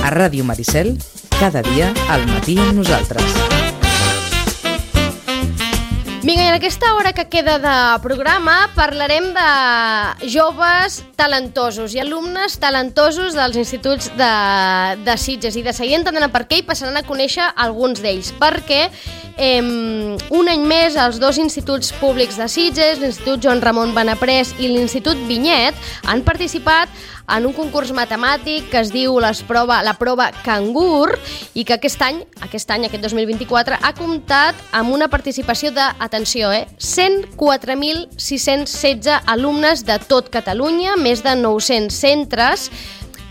A Ràdio Maricel, cada dia al matí amb nosaltres. Vinga, i en aquesta hora que queda de programa parlarem de joves talentosos i alumnes talentosos dels instituts de Sitges, i de seguir entenent per què i passaran a conèixer alguns d'ells, perquè un any més els dos instituts públics de Sitges, l'Institut Joan Ramon Benaprés i l'Institut Vinyet, han participat en un concurs matemàtic que es diu la prova Cangur, i que aquest any, aquest 2024, ha comptat amb una participació de, atenció, 104.616 alumnes de tot Catalunya, més de 900 centres.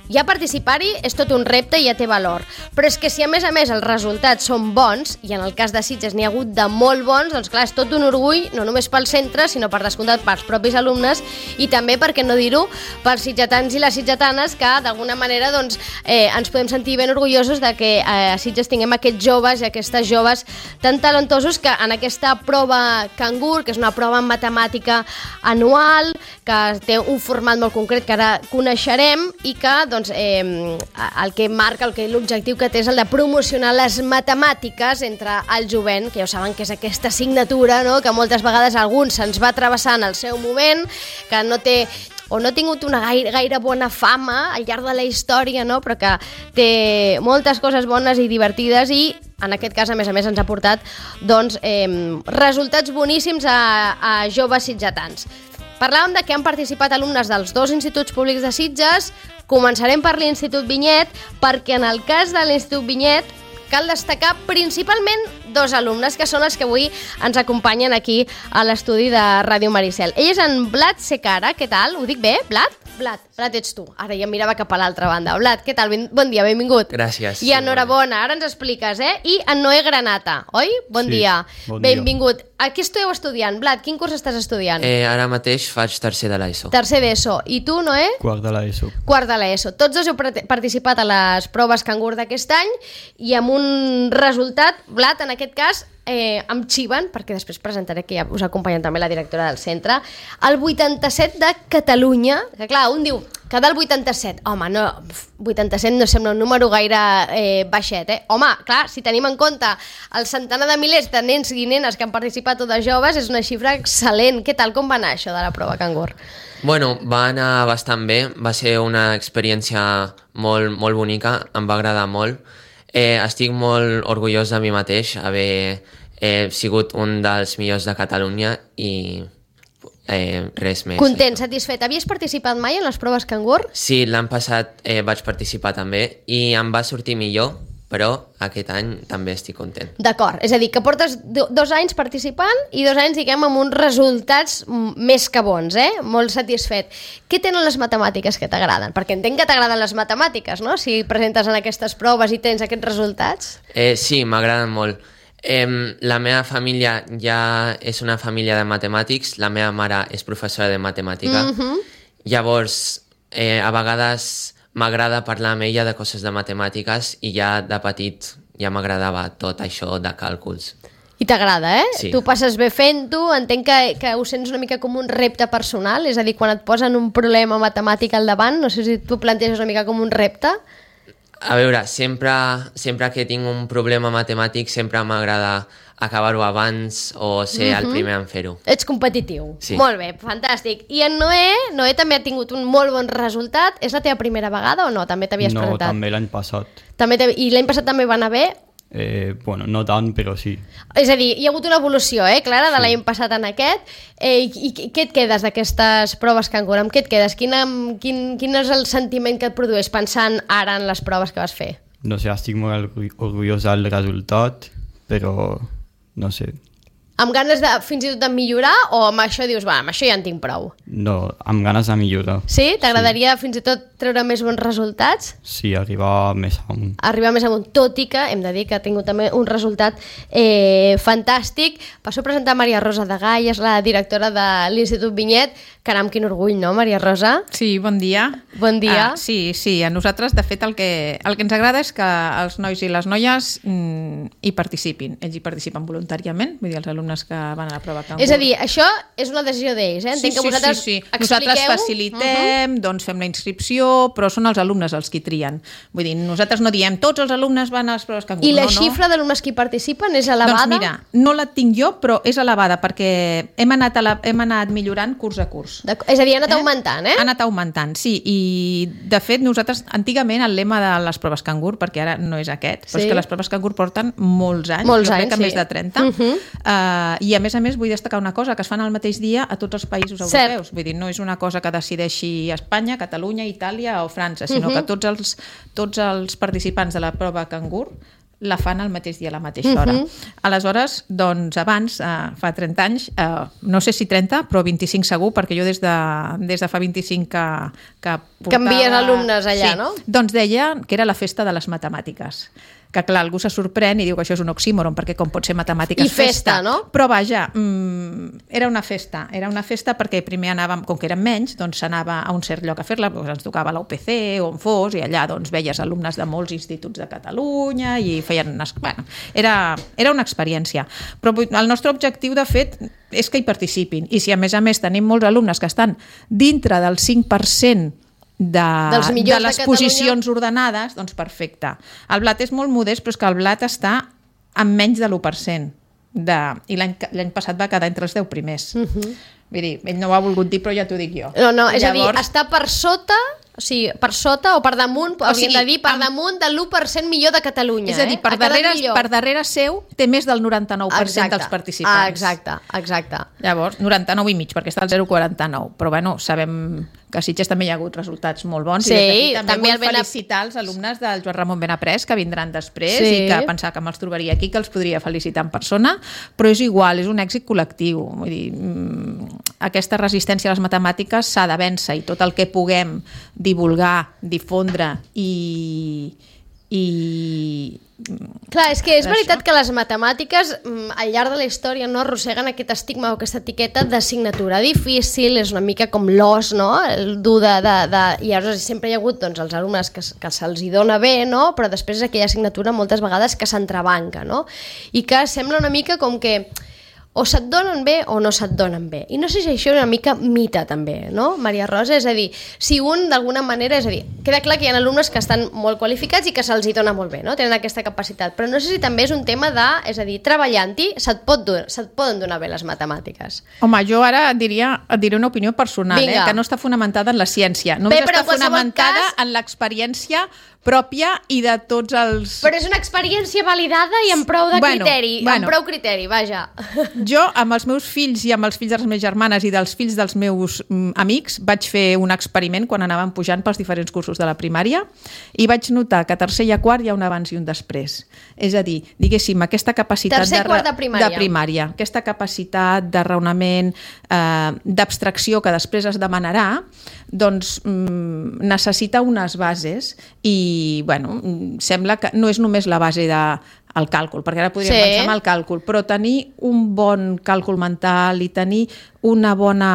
Ja participar-hi és tot un repte i ja té valor. Però és que si a més els resultats són bons, i en el cas de Sitges n'hi ha hagut de molt bons, doncs clar, és tot un orgull, no només pel centre, sinó per descomptat pels propis alumnes, i també, per què no dir-ho, pels sitgetans i les sitgetanes, que d'alguna manera doncs, ens podem sentir ben orgullosos de que a Sitges tinguem aquests joves i aquestes joves tan talentosos que en aquesta prova Cangur, que és una prova matemàtica anual, que té un format molt concret que ara coneixerem, i que doncs, el que marca, l'objectiu que té és el de promocionar les matemàtiques entre el jovent, que ja saben que és aquesta assignatura, no?, que moltes vegades a alguns se'ns va travessar en el seu moment, que no té o no ha tingut una gaire bona fama al llarg de la història, no?, però que té moltes coses bones i divertides, i en aquest cas, a més, ens ha portat doncs, resultats boníssims a joves sitgetans. Parlàvem de que han participat alumnes dels dos instituts públics de Sitges. Començarem per l'Institut Vinyet, perquè en el cas de l'Institut Vinyet cal destacar principalment dos alumnes, que són els que avui ens acompanyen aquí a l'estudi de Ràdio Maricel. Ell és en Vlad Secara. Què tal? Ho dic bé, Vlad? Vlad, ets tu. Ara ja em mirava cap a l'altra banda. Vlad, què tal? Bon dia, benvingut. Gràcies. I enhorabona, ara ens expliques, I en Noé Granata, oi? Bon dia. Benvingut. A què esteu estudiant? Vlad, quin curs estàs estudiant? Ara mateix faig tercer de l'ESO. Tercer d'ESO. I tu, Noé? Quart de l'ESO. Quart de l'ESO. Tots dos heu participat a les proves Cangur d'aquest any, i amb un resultat, Vlad, en aquest cas, em xiven, perquè després presentaré, que ja us acompanya també la directora del centre, el 87 de Catalunya, que clar, un diu que del 87, home, no, 87 no sembla un número gaire baixet, Home, clar, si tenim en compte el centenar de milers de nens i nenes que han participat, totes joves, és una xifra excel·lent. Què tal, com va anar això de la prova Cangur? Bueno, va anar bastant bé, va ser una experiència molt, molt bonica, em va agradar molt. Estic molt orgullós de mi mateix, haver sigut un dels millors de Catalunya, i res més. Content, satisfet. Havies participat mai en les proves Cangur? Sí, l'any passat vaig participar també, i em va sortir millor, però aquest any també estic content. D'acord, és a dir, que portes 2 anys participant i 2 anys, diguem, amb uns resultats més que bons, Molt satisfet. Què tenen les matemàtiques que t'agraden? Perquè entenc que t'agraden les matemàtiques, no?, si presentes en aquestes proves i tens aquests resultats. Sí, m'agraden molt. La meva família ja és una família de matemàtics, la meva mare és professora de matemàtica, llavors a vegades m'agrada parlar amb ella de coses de matemàtiques, i ja de petit ja m'agradava tot això de càlculs. I t'agrada, Sí. Tu passes bé fent-ho, entenc que ho sents una mica com un repte personal, és a dir, quan et posen un problema matemàtic al davant, no sé si tu planteges una mica com un repte. A veure, sempre que tinc un problema matemàtic sempre m'agrada acabar-ho abans o ser el primer en fer-ho. Ets competitiu. Sí. Molt bé, fantàstic. I en Noé també ha tingut un molt bon resultat. És la teva primera vegada o no? També t'havies presentat? No, també l'any passat. I l'any passat també va anar bé? Bueno, no tant, però sí. És a dir, hi ha hagut una evolució, Clara, de l'any passat en aquest. I què et quedes d'aquestes proves Cangur? Amb què et quedes? Quin és el sentiment que et produeix pensant ara en les proves que vas fer? No sé, estic molt orgullós del resultat, però no sé. Amb ganes de fins i tot de millorar, o amb això dius, amb això ja en tinc prou? No, amb ganes de millorar. Sí? T'agradaria fins i tot treure més bons resultats? Sí, arribar més amunt. Arribar més amunt, tot i que hem de dir que ha tingut també un resultat fantàstic. Passo a presentar Maria Rosa de Gai, és la directora de l'Institut Vinyet. Caram, quin orgull, no, Maria Rosa? Sí, bon dia. Bon dia. Sí, a nosaltres, de fet, el que ens agrada és que els nois i les noies hi participin. Ells hi participen voluntàriament, vull dir, els alumnes que van a la prova Cangur. És a dir, això és una decisió d'ells, Entenc que vosaltres sí. Nosaltres facilitem, doncs fem la inscripció, però són els alumnes els qui trien. Vull dir, nosaltres no diem tots els alumnes van a les proves cangur. I la xifra d'alumnes que hi participen és elevada? Doncs mira, no la tinc jo, però és elevada perquè hem anat millorant curs a curs. És a dir, ha anat augmentant, Ha anat augmentant, sí. I, de fet, nosaltres, antigament, el lema de les proves cangur, perquè ara no és aquest, però és que les proves cangur porten molts anys, jo crec que més de 30, i a més, vull destacar una cosa, que es fan al mateix dia a tots els països europeus. Vull dir, no és una cosa que decideixi Espanya, Catalunya, Itàlia o França, sinó que tots els participants de la prova cangur la fan al mateix dia, a la mateixa hora. Aleshores, doncs, abans, fa 30 anys, no sé si 30, però 25 segur, perquè jo des de fa 25 que portava... Canvies alumnes allà, no? Doncs deia que era la festa de les matemàtiques. Que clar, algú se sorprèn i diu que això és un oxímoron, perquè com pot ser matemàtiques i festa, no? Però vaja, era una festa perquè primer anàvem, com que érem menys, doncs s'anava a un cert lloc a fer-la, doncs ens tocava la UPC o on fos, i allà doncs veies alumnes de molts instituts de Catalunya i feien unes... Bueno, era una experiència. Però el nostre objectiu, de fet, és que hi participin. I si a més tenim molts alumnes que estan dintre del 5% de les posicions ordenades, doncs perfecte. El blat és molt modest, però és que el blat està en menys de l'1%. I l'any passat va quedar entre els 10 primers. Vull dir, ell no ho ha volgut dir, però ja t'ho dic jo. No, és a dir, està per sota... O sigui, per sota o per damunt, hauríem de dir per damunt de l'1% millor de Catalunya. És a dir, per darrere seu té més del 99% dels participants. Exacte. Llavors, 99,5, perquè està al 0,49. Però bueno, sabem que a Sitges també hi ha hagut resultats molt bons. Sí, i també vull felicitar els alumnes del Joan Ramon Benaprés que vindran després i que pensava que me'ls trobaria aquí, que els podria felicitar en persona, però és igual, és un èxit col·lectiu. Vull dir, aquesta resistència a les matemàtiques s'ha de vèncer i tot el que puguem divulgar, difondre i... Clar, és que és veritat que les matemàtiques al llarg de la història no arrosseguen aquest estigma o aquesta etiqueta d'assignatura difícil, és una mica com l'os, no? El dur de... I llavors sempre hi ha hagut doncs, els alumnes que se'ls hi dona bé, no? Però després és aquella assignatura moltes vegades que s'entrebanca, no? I que sembla una mica com que o se't donen bé o no se't donen bé. I no sé si això és una mica mite també, no, Maria Rosa? És a dir, si un d'alguna manera, és a dir, queda clar que hi ha alumnes que estan molt qualificats i que se'ls hi dona molt bé, no? Tenen aquesta capacitat, però no sé si també és un tema de, és a dir, treballant-hi se't poden donar bé les matemàtiques. Home, jo ara et diré una opinió personal, que no està fonamentada en la ciència, només està fonamentada en l'experiència pròpia i de tots els... Però és una experiència validada i amb prou de criteri, amb prou criteri, vaja. Jo, amb els meus fills i amb els fills de les meves germanes i dels fills dels meus amics, vaig fer un experiment quan anàvem pujant pels diferents cursos de la primària i vaig notar que a tercer i a quart hi ha un abans i un després. És a dir, diguéssim, aquesta capacitat de primària, aquesta capacitat de raonament, d'abstracció que després es demanarà, doncs necessita unes bases i, bueno, sembla que no és només la base del càlcul, perquè ara podríem pensar en el càlcul, però tenir un bon càlcul mental i tenir una bona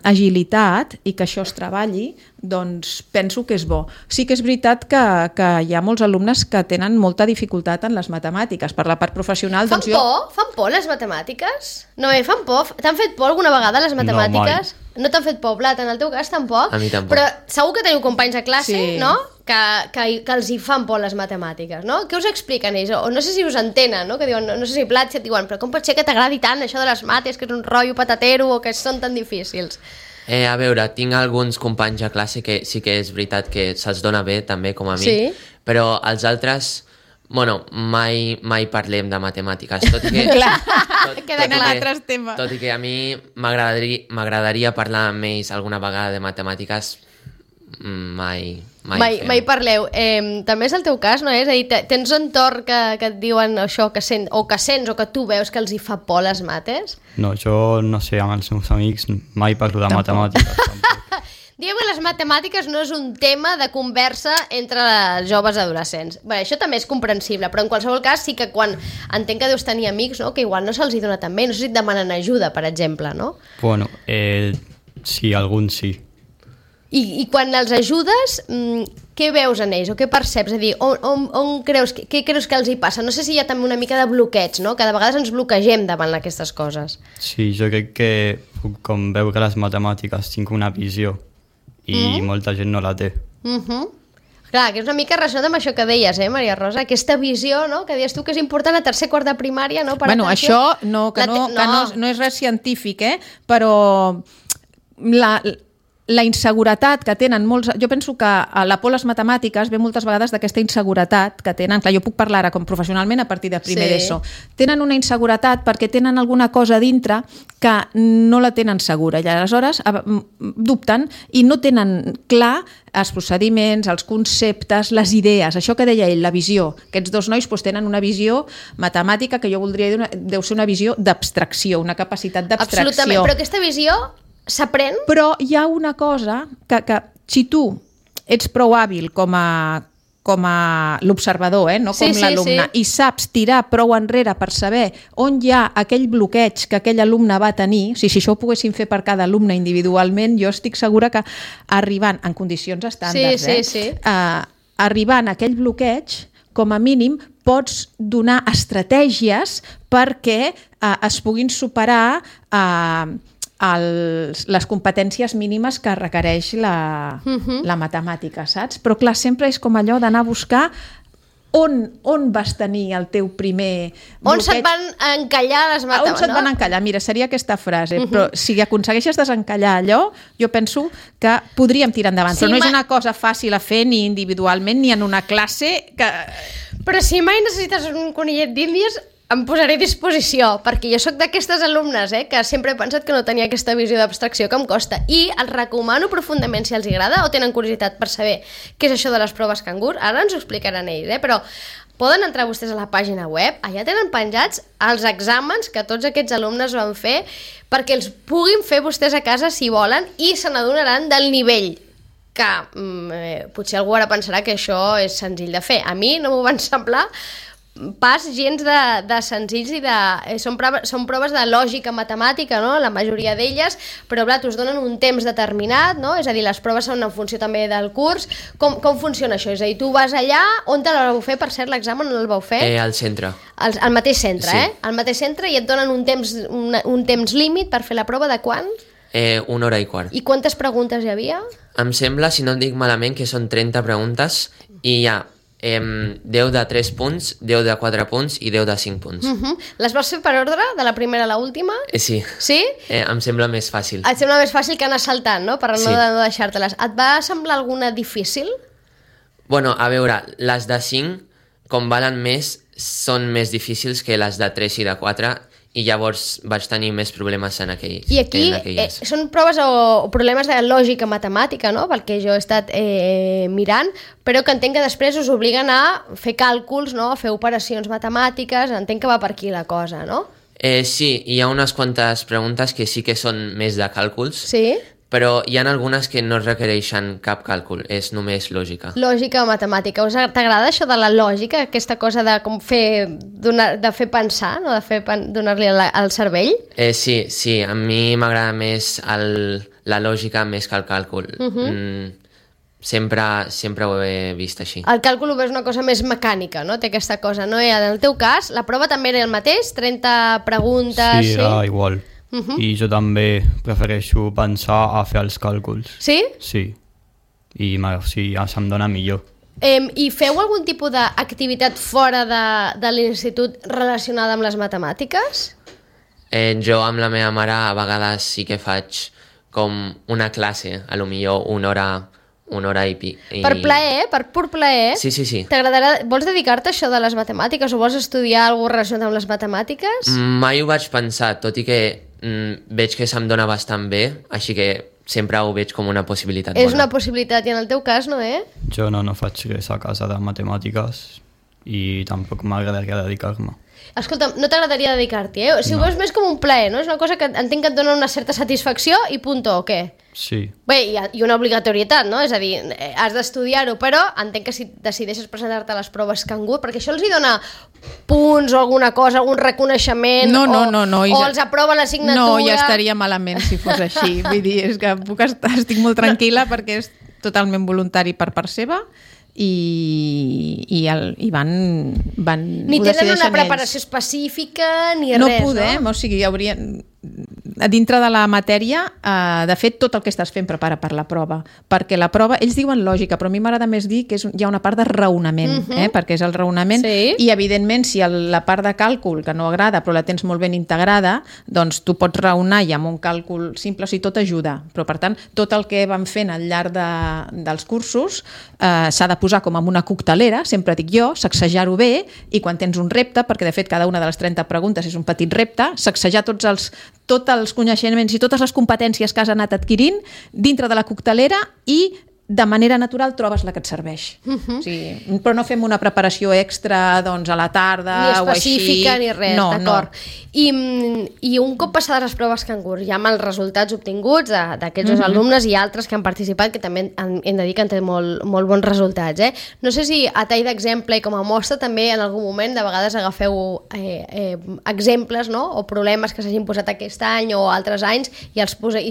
agilitat i que això es treballi, doncs penso que és bo. Sí que és veritat que hi ha molts alumnes que tenen molta dificultat en les matemàtiques. Per la part professional... Fan por les matemàtiques? No, fan por? T'han fet por alguna vegada les matemàtiques? No t'han fet por, Blat, en el teu cas tampoc? A mi tampoc. Però segur que teniu companys a classe, no? Que els hi fan por les matemàtiques, no? Què us expliquen ells? O no sé si us entenen, no? Que diuen, no sé si Blat, si et diuen, però com pot ser que t'agradi tant això de les mates, que és un rotllo patatero o que són tan difícils? A veure, tinc alguns companys a classe que sí que és veritat que se'ls dona bé, també, com a mi, però els altres, bueno, mai parlem de matemàtiques, tot i que... Queden altres temes. Tot i que a mi m'agradaria parlar amb ells alguna vegada de matemàtiques, mai parleu. També és el teu cas, no? És a dir, tens un entorn que et diuen això, que sents o que tu veus que els hi fa por les mates? No, jo no sé, amb els meus amics mai parlo de matemàtiques. Tampoc. Diguem que les matemàtiques no és un tema de conversa entre els joves adolescents. Bé, això també és comprensible, però en qualsevol cas sí que quan entenc que deus tenir amics, no? Que igual no se'ls hi dona tan bé, no sé si et demanen ajuda, per exemple, no? Bueno, sí, alguns sí. I quan els ajudes, què veus en ells o què perceps? És a dir, què creus que els hi passa? No sé si hi ha també una mica de bloqueig, no? Que de vegades ens bloquegem davant aquestes coses. Sí, jo crec que puc com veure les matemàtiques, tinc una visió i molta gent no la té. Clar, que és una mica relacionat amb això que deies, Maria Rosa? Aquesta visió, no?, que deies tu que és important a tercer quart de primària, no? Bueno, això no és res científic, però la inseguretat que tenen molts... Jo penso que la por a les matemàtiques ve moltes vegades d'aquesta inseguretat que tenen. Clar, jo puc parlar ara com professionalment a partir de primer d'ESO. Tenen una inseguretat perquè tenen alguna cosa dintre que no la tenen segura i aleshores dubten i no tenen clar els procediments, els conceptes, les idees, això que deia ell, la visió. Aquests dos nois tenen una visió matemàtica que jo voldria dir deu ser una visió d'abstracció, una capacitat d'abstracció. Absolutament, però aquesta visió s'aprèn? Però hi ha una cosa que si tu ets prou hàbil com a l'observador, no com l'alumne, i saps tirar prou enrere per saber on hi ha aquell bloqueig que aquell alumne va tenir, si això ho poguéssim fer per cada alumne individualment, jo estic segura que arribant en condicions estàndards, arribant a aquell bloqueig, com a mínim pots donar estratègies perquè es puguin superar les competències mínimes que requereix la matemàtica, saps? Però clar, sempre és com allò d'anar a buscar on vas tenir el teu primer bloqueig. On se't van encallar les matemàtiques? On se't van encallar? Mira, seria aquesta frase. Però si aconsegueixes desencallar allò, jo penso que podríem tirar endavant. Però no és una cosa fàcil a fer ni individualment ni en una classe que... Però si mai necessites un conillet d'Índies, em posaré a disposició, perquè jo sóc d'aquestes alumnes que sempre he pensat que no tenia aquesta visió d'abstracció que em costa, i els recomano profundament si els agrada o tenen curiositat per saber què és això de les proves cangur. Ara ens ho explicaran ells, però poden entrar vostès a la pàgina web, allà tenen penjats els exàmens que tots aquests alumnes van fer perquè els puguin fer vostès a casa si volen i se n'adonaran del nivell que potser algú ara pensarà que això és senzill de fer. A mi no m'ho van semblar pas gens de senzills i són proves de lògica matemàtica, no?, la majoria d'elles, però clar, us donen un temps determinat, no?, és a dir, les proves són en funció també del curs. Com funciona això? És a dir, tu vas allà, on te la vau fer, per cert, l'examen on el vau fer? Al centre. Al mateix centre, sí. Al mateix centre, i et donen un temps límit per fer la prova de quan? 1 hora i quart. I quantes preguntes hi havia? Em sembla, si no et dic malament, que són 30 preguntes i hi ha 10 de 3 punts, 10 de 4 punts i 10 de 5 punts. Les vas fer per ordre, de la primera a l'última? Sí. Sí? Em sembla més fàcil. Et sembla més fàcil que anar saltant, no?, per no deixar-te-les. Et va semblar alguna difícil? Bueno, a veure, les de 5, com valen més, són més difícils que les de 3 i de 4, i llavors vaig tenir més problemes en aquells. I aquí són proves o problemes de lògica matemàtica, no?, pel que jo he estat mirant, però que entenc que després us obliguen a fer càlculs, no?, a fer operacions matemàtiques, entenc que va per aquí la cosa, no? Sí, hi ha unes quantes preguntes que sí que són més de càlculs, sí? Però hi ha algunes que no requereixen cap càlcul, és només lògica. Lògica matemàtica. T'agrada això de la lògica, aquesta cosa de com de fer pensar, no?, de donar-li al cervell? Sí, a mi m'agrada més la lògica més que el càlcul. Sempre ho he vist així. El càlcul ho veus una cosa més mecànica, no? Té aquesta cosa, no? I en el teu cas, la prova també era el mateix? 30 preguntes... Sí, era igual. I jo també prefereixo pensar a fer els càlculs. Sí? Sí. I ja se'm dona millor. I feu algun tipus d'activitat fora de l'institut relacionada amb les matemàtiques? Jo amb la meva mare a vegades sí que faig com una classe, a lo millor una hora i pic. Per plaer, per pur plaer? Sí. Vols dedicar-te a això de les matemàtiques o vols estudiar alguna cosa relacionat amb les matemàtiques? Mai ho vaig pensar, tot i que veig que se'm dona bastant bé, així que sempre ho veig com una possibilitat bona. És una possibilitat, i en el teu cas, no, Jo no faig res a casa de matemàtiques i tampoc m'agradaria dedicar-me. Escolta'm, no t'agradaria dedicar-t'hi, Si ho veus més com un plaer, no? És una cosa que entenc que et dona una certa satisfacció i punto, o què? Sí. Bé, i una obligatorietat, no? És a dir, has d'estudiar-ho, però entenc que si decideixes presentar-te a les proves cangur, perquè això els hi dona punts o alguna cosa, algun reconeixement, no, o els aprova l'assignatura... No, ja estaria malament si fos així. Vull dir, és que estic molt tranquil·la perquè és totalment voluntari per part seva i van ni tenen una preparació específica ni res, no podem, o sigui, dintre de la matèria, de fet, tot el que estàs fent prepara per la prova, perquè la prova, ells diuen lògica, però a mi m'agrada més dir que hi ha una part de raonament, perquè és el raonament, i evidentment, si la part de càlcul, que no agrada, però la tens molt ben integrada, doncs tu pots raonar i amb un càlcul simple, o sigui, tot ajuda, però per tant, tot el que vam fent al llarg dels cursos s'ha de posar com en una coctelera, sempre dic jo, sacsejar-ho bé, i quan tens un repte, perquè de fet cada una de les 30 preguntes és un petit repte, sacsejar tots els coneixements i totes les competències que has anat adquirint dintre de la coctelera i de manera natural trobes la que et serveix. O sigui, però no fem una preparació extra doncs, a la tarda o així. Ni específica ni res, d'acord. No. I un cop passades les proves cangur, ja amb els resultats obtinguts d'aquests dos alumnes i altres que han participat, que també hem de dir que han tret molt bons resultats. No sé si a tall d'exemple i com a mostra també en algun moment de vegades agafeu exemples, no? O problemes que s'hagin posat aquest any o altres anys i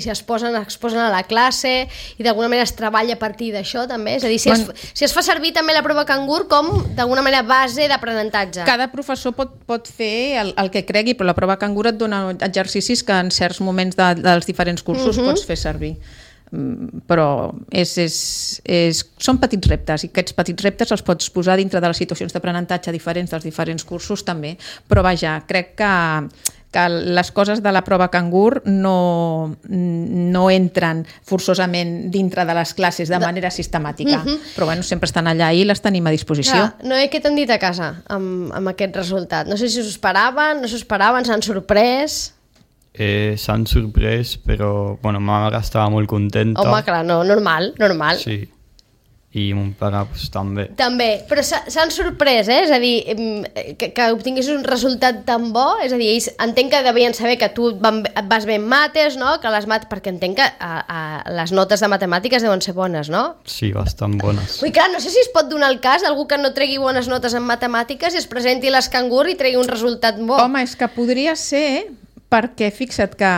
si es posen a la classe i d'alguna manera es treballa a partir d'això també, és a dir, si es fa servir també la prova cangur com d'alguna manera base d'aprenentatge. Cada professor pot fer el que cregui, però la prova cangur et dona exercicis que en certs moments dels diferents cursos pots fer servir. Però són petits reptes i aquests petits reptes els pots posar dintre de les situacions d'aprenentatge diferents dels diferents cursos també, però vaja, crec que les coses de la prova cangur no entren forçosament dintre de les classes de manera sistemàtica, però bueno, sempre estan allà i les tenim a disposició. Noé, què t'han dit a casa amb aquest resultat? No sé si us esperaven, no s'ho esperaven, s'han sorprès? S'han sorprès, però ma mare estava molt contenta. Home, clar, normal. Sí. I mon pare també. També, però s'han sorprès, és a dir, que obtinguessis un resultat tan bo, és a dir, ells entenc que devien saber que tu et vas bé en mates, no? Que les mates, perquè entenc que les notes de matemàtiques deuen ser bones, no? Sí, bastant bones. Ui, clar, no sé si es pot donar el cas d'algú que no tregui bones notes en matemàtiques i es presenti a l'escangur i tregui un resultat bo. Home, és que podria ser, perquè fixa't que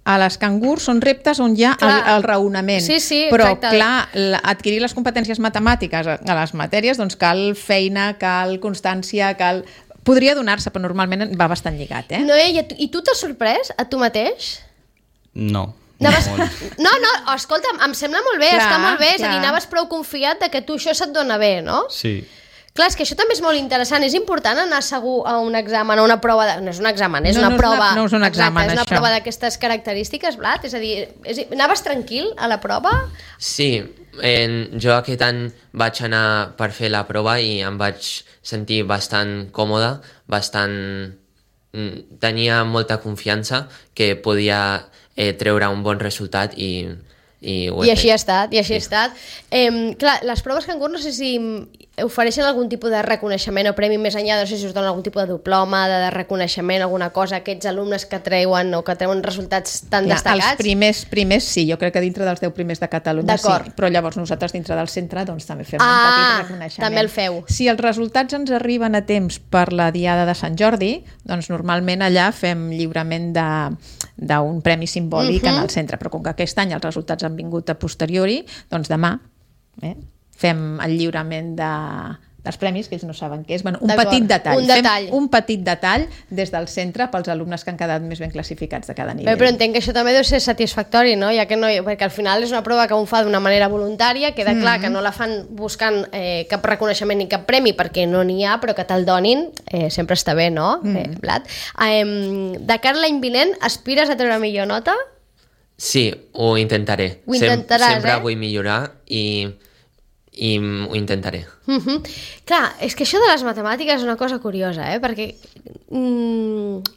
a les cangurs són reptes on hi ha el raonament. Sí, però, exacte. clar, adquirir les competències matemàtiques a les matèries, doncs cal feina, cal constància, podria donar-se, però normalment va bastant lligat, Noé, i tu t'has sorprès a tu mateix? No. No, escolta'm, em sembla molt bé, està molt bé, és a dir, anaves prou confiat de que tu això se't dona bé, no? Sí. Clar, és que això també és molt interessant. És important anar segur a un examen, a una prova... No és un examen, és una prova... No és un examen, exacte, és una això. prova d'aquestes característiques, Blat? És a dir, anaves tranquil a la prova? Sí, jo aquest any vaig anar per fer la prova i em vaig sentir bastant còmode, tenia molta confiança que podia treure un bon resultat i així ha estat, ha estat. Clar, les proves cangur no sé si ofereixen algun tipus de reconeixement o premi més enllà, no sé si us donen algun tipus de diploma, de reconeixement, alguna cosa a aquests alumnes que treuen resultats tan destacats. Els primers sí, jo crec que dintre dels 10 primers de Catalunya sí, però llavors nosaltres dintre del centre doncs també fem un petit reconeixement. També el feu. Si els resultats ens arriben a temps per la Diada de Sant Jordi, doncs normalment allà fem lliurament d'un premi simbòlic en el centre, però com que aquest any els resultats han vingut a posteriori, doncs demà fem el lliurament dels premis, que ells no saben què és. Bueno, un petit detall. Fem un petit detall des del centre pels alumnes que han quedat més ben classificats de cada nivell. Però entenc que això també deu ser satisfactori, no? Perquè al final és una prova que un fa d'una manera voluntària, queda clar que no la fan buscant cap reconeixement ni cap premi, perquè no n'hi ha, però que te'l donin sempre està bé, no? Blat. De cara a l'any vinent, aspires a treure millor nota? Sí, ho intentaré. Ho intentaràs, sempre vull millorar i ho intentaré. Clar, és que això de les matemàtiques és una cosa curiosa, perquè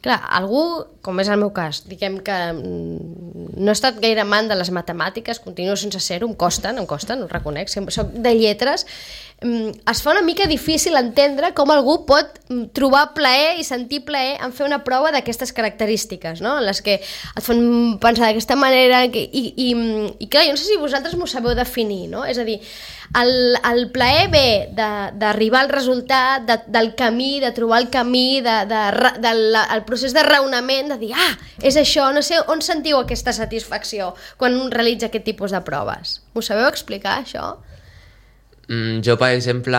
clar, algú, com és el meu cas, diguem que no he estat gaire amant de les matemàtiques, continuo sense ser-ho, em costen, ho reconec, soc de lletres, es fa una mica difícil entendre com algú pot trobar plaer i sentir plaer en fer una prova d'aquestes característiques, no? En les que et fan pensar d'aquesta manera i clar, jo no sé si vosaltres m'ho sabeu definir, no? És a dir, el plaer ve d'arribar al resultat, del camí, de trobar el camí, del procés de raonament, de dir, és això, no sé on sentiu aquesta satisfacció quan un realitza aquest tipus de proves. M'ho sabeu explicar, això? Jo, per exemple,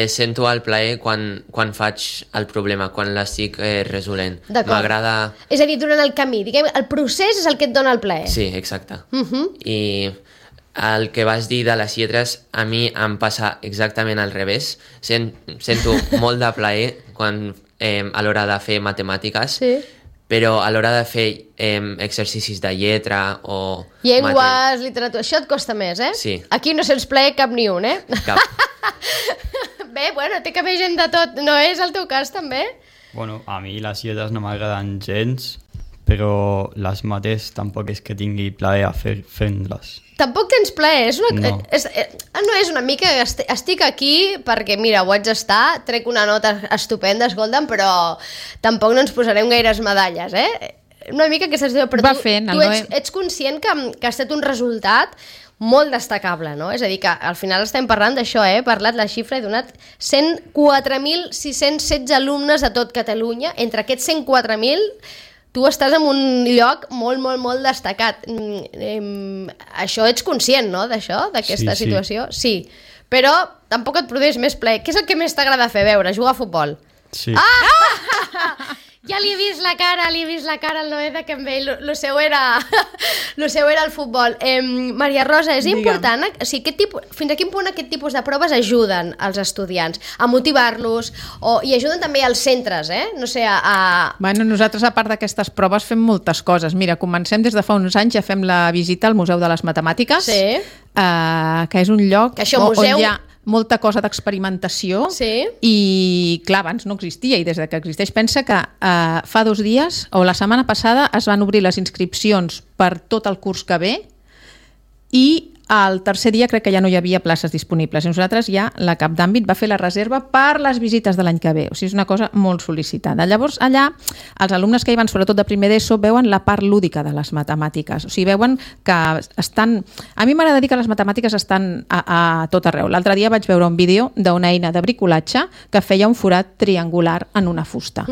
sento el plaer quan faig el problema, quan l'estic resolent. D'acord. M'agrada... És a dir, durant el camí, diguem, el procés és el que et dona el plaer. Sí, exacte. I el que vas dir de les lletres, a mi em passa exactament al revés. Sento molt de plaer a l'hora de fer matemàtiques, Sí. però a l'hora de fer exercicis de lletra o... Llengües, literatura, això et costa més, eh? Sí. Aquí no sents plaer cap ni un, eh? Cap. Bé, bueno, té que haver gent de tot. No és el teu cas, també? Bueno, a mi les lletres no m'agraden gens, però les mates tampoc és que tingui plaer a fent-les. Tampoc tens plaer, és una... No. No és una mica... Estic aquí perquè, mira, ho haig d'estar, trec una nota estupenda, escolta'm, però tampoc no ens posarem gaires medalles, eh? Una mica aquesta situació, però Va tu, fent, el tu Noé. ets conscient que ha estat un resultat molt destacable, no? És a dir, que al final estem parlant d'això, He parlat la xifra, he donat 104.616 alumnes a tot Catalunya. Entre aquests 104.000, tu estàs en un lloc molt, molt, molt destacat. Això ets conscient, no?, d'això, d'aquesta Sí. situació? Sí. Però tampoc et produeix més plaer. Què és el que més t'agrada fer, veure? Jugar a futbol? Sí. Ja li he vist la cara al Noé de que amb ell lo seu era el futbol. Maria Rosa, és important, o sigui, fins a quin punt aquest tipus de proves ajuden als estudiants a motivar-los i ajuden també als centres, no sé, Bueno, nosaltres, a part d'aquestes proves, fem moltes coses. Mira, comencem des de fa uns anys, ja fem la visita al Museu de les Matemàtiques, Sí. Que és un lloc Que això, on museu- hi ha molta cosa d'experimentació Sí. i, clar, abans no existia i des de que existeix, pensa que fa 2 dies o la setmana passada es van obrir les inscripcions per tot el curs que ve i el tercer dia crec que ja no hi havia places disponibles. I nosaltres ja, la cap d'àmbit, va fer la reserva per les visites de l'any que ve. O sigui, és una cosa molt sol·licitada. Llavors, allà, els alumnes que hi van, sobretot de primer d'ESO, veuen la part lúdica de les matemàtiques. O sigui, veuen que estan... A mi m'agrada dir que les matemàtiques estan a tot arreu. L'altre dia vaig veure un vídeo d'una eina de bricolatge que feia un forat triangular en una fusta.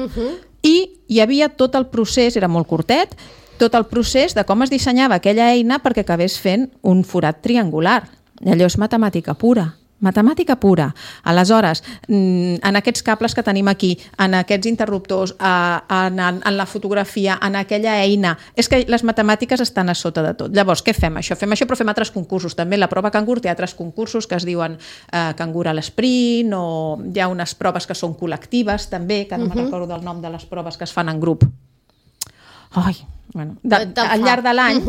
I hi havia tot el procés, era molt curtet, tot el procés de com es dissenyava aquella eina perquè acabés fent un forat triangular. I allò és matemàtica pura. Matemàtica pura. Aleshores, en aquests cables que tenim aquí, en aquests interruptors, en la fotografia, en aquella eina, és que les matemàtiques estan a sota de tot. Llavors, què fem? Això fem, però fem altres concursos. També la prova Cangur té altres concursos que es diuen Cangur a l'esprint, o hi ha unes proves que són col·lectives, també, que no me'n recordo del nom de les proves que es fan en grup. Ai, bueno, al llarg de l'any,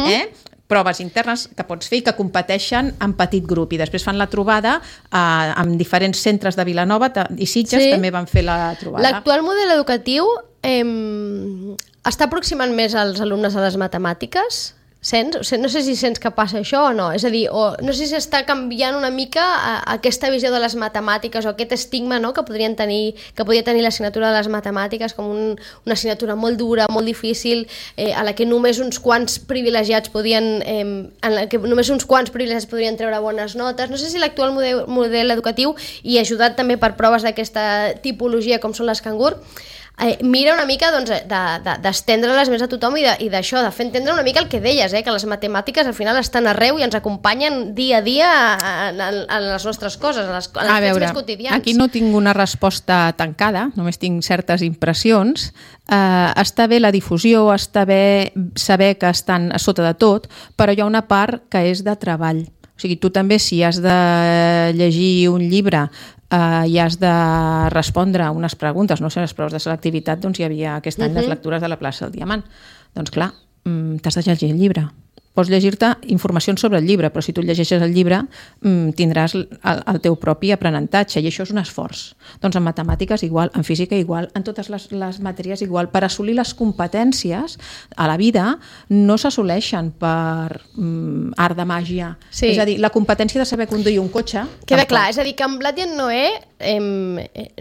proves internes que pots fer i que competeixen en petit grup i després fan la trobada amb diferents centres de Vilanova i Sitges també van fer la trobada. L'actual model educatiu està aproximant més als alumnes a les matemàtiques? Sents? No sé si sents que passa això o no. És a dir, no sé si està canviant una mica aquesta visió de les matemàtiques o aquest estigma, no?, que podia tenir l'assignatura de les matemàtiques com una assignatura molt dura, molt difícil, a la que només uns quants privilegiats podien treure bones notes. No sé si l'actual model educatiu, i ajudat també per proves d'aquesta tipologia com són les Cangur, mira una mica d'estendre-les més a tothom i d'això, de fer entendre una mica el que deies, que les matemàtiques al final estan arreu i ens acompanyen dia a dia en les nostres coses, en els fets més quotidians. Aquí no tinc una resposta tancada, només tinc certes impressions. Està bé la difusió, està bé saber que estan a sota de tot, però hi ha una part que és de treball. O sigui, tu també, si has de llegir un llibre i has de respondre unes preguntes, no sé, les proves de selectivitat, doncs hi havia aquest any les lectures de la plaça del Diamant. Doncs clar, t'has de llegir el llibre. Pots llegir-te informacions sobre el llibre, però si tu llegeixes el llibre tindràs el teu propi aprenentatge, i això és un esforç. Doncs en matemàtiques igual, en física igual, en totes les matèries igual. Per assolir les competències a la vida no s'assoleixen per art de màgia. Sí. És a dir, la competència de saber conduir un cotxe... Queda clar, és a dir, que en Blat i en Noé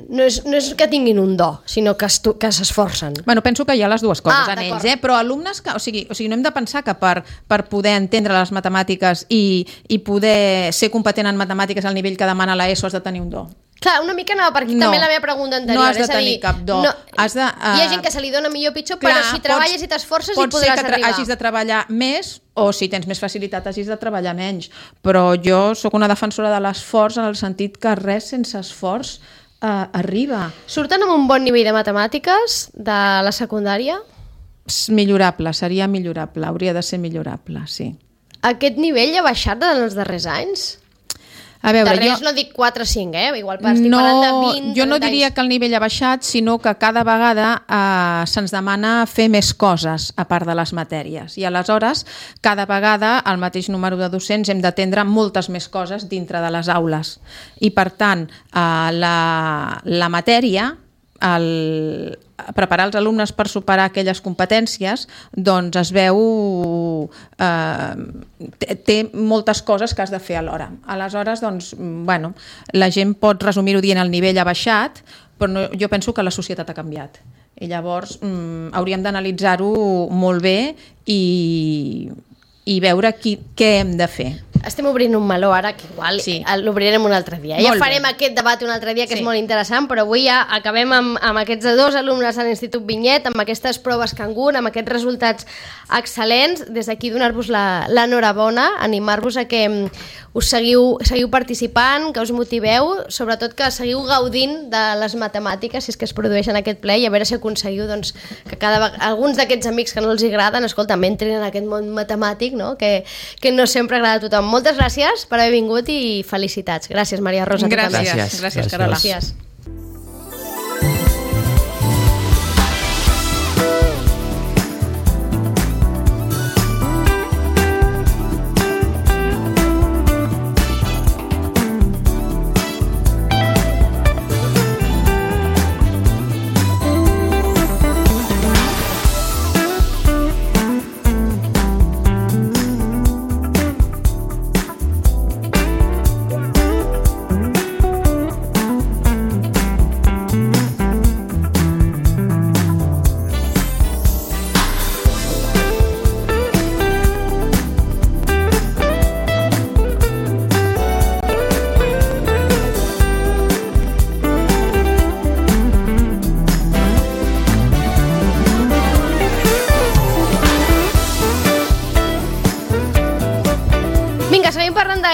no és que tinguin un do, sinó que s'esforcen. Bueno, penso que hi ha les dues coses en d'acord. ells, però alumnes que... O sigui, no hem de pensar que per poder entendre les matemàtiques i poder ser competent en matemàtiques al nivell que demana l'ESO has de tenir un do. Clar, una mica anava per aquí també la meva pregunta anterior. No has de tenir cap do. Hi ha gent que se li dona millor o pitjor, però si treballes i t'esforces hi podràs arribar. Pot ser que hagis de treballar més o si tens més facilitat hagis de treballar menys. Però jo sóc una defensora de l'esforç en el sentit que res sense esforç arriba. Surten amb un bon nivell de matemàtiques de la secundària? Millorable, seria millorable. Hauria de ser millorable, sí. Aquest nivell ha baixat en els darrers anys? A veure, darrers no dic 4 o 5, igual estic parlant de 20, jo no diria que el nivell ha baixat, sinó que cada vegada se'ns demana fer més coses a part de les matèries. I aleshores, cada vegada, el mateix número de docents hem d'atendre moltes més coses dintre de les aules. I per tant, la matèria, preparar els alumnes per superar aquelles competències, doncs es veu té moltes coses que has de fer alhora. Aleshores, doncs, bueno, la gent pot resumir-ho dient el nivell ha baixat, però no, jo penso que la societat ha canviat. I llavors hauríem d'analitzar-ho molt bé i veure què hem de fer. Estem obrint un meló ara, que igual l'obrirem un altre dia. Ja farem aquest debat un altre dia, que és molt interessant, però avui ja acabem amb aquests 2 alumnes de l'Institut Vinyet, amb aquestes proves Cangur, amb aquests resultats excel·lents. Des d'aquí donar-vos l'enhorabona, animar-vos a que us seguiu participant, que us motiveu, sobretot que seguiu gaudint de les matemàtiques, si és que es produeixen aquest ple, i a veure si aconseguiu que alguns d'aquests amics que no els agraden, escolta, entrin en aquest món matemàtic, no? Que no sempre agrada a tothom. Moltes gràcies per haver vingut i felicitats. Gràcies, Maria Rosa. Gràcies, Carola. Gràcies.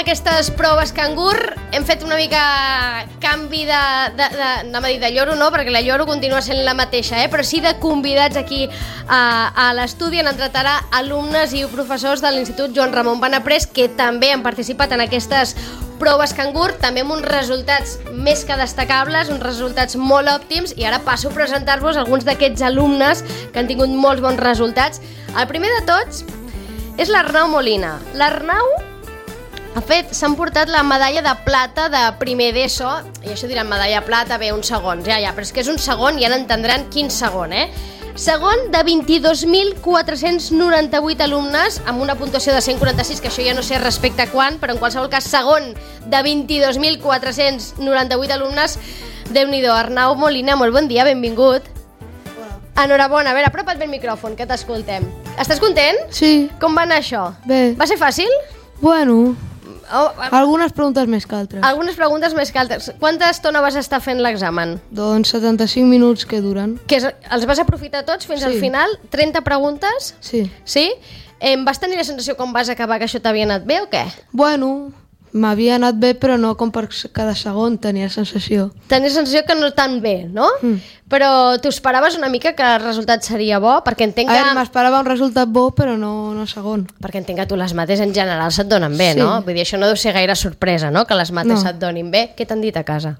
Aquestes proves Cangur hem fet una mica canvi de lloro, no, perquè la lloro continua sent la mateixa, però sí de convidats aquí a l'estudi. Han entrat ara alumnes i professors de l'Institut Joan Ramon Benaprés, que també han participat en aquestes proves Cangur, també amb uns resultats més que destacables, uns resultats molt òptims, i ara passo a presentar-vos alguns d'aquests alumnes que han tingut molts bons resultats. El primer de tots és l'Arnau Molina. L'Arnau s'han portat la medalla de plata de primer d'ESO, i això diran medalla de plata, bé, uns segons, ja, però és que és un segon i ara entendran quin segon, Segon de 22.498 alumnes, amb una puntuació de 146, que això ja no sé respecte a quan, però en qualsevol cas, segon de 22.498 alumnes. Déu-n'hi-do. Arnau Molina, molt bon dia, benvingut. Enhorabona. A veure, apropa't bé el micròfon, que t'escoltem. Estàs content? Sí. Com va anar això? Bé. Va ser fàcil? Bueno, algunes preguntes més que altres. Algunes preguntes més que altres. Quanta estona vas estar fent l'examen? Doncs 75 minuts que duren. Els vas aprofitar tots fins al final? 30 preguntes? Sí. Sí? Vas tenir la sensació quan vas acabar que això t'havia anat bé o què? Bueno, m'havia anat bé, però no com per cada segon tenia sensació. Tenia sensació que no tan bé, no? Però t'ho esperaves una mica que el resultat seria bo? Perquè entenc que... m'esperava un resultat bo, però no segon. Perquè entenc que tu les mates en general se't donen bé, no? Vull dir, això no deu ser gaire sorpresa, no? Que les mates se't donin bé. Què t'han dit a casa?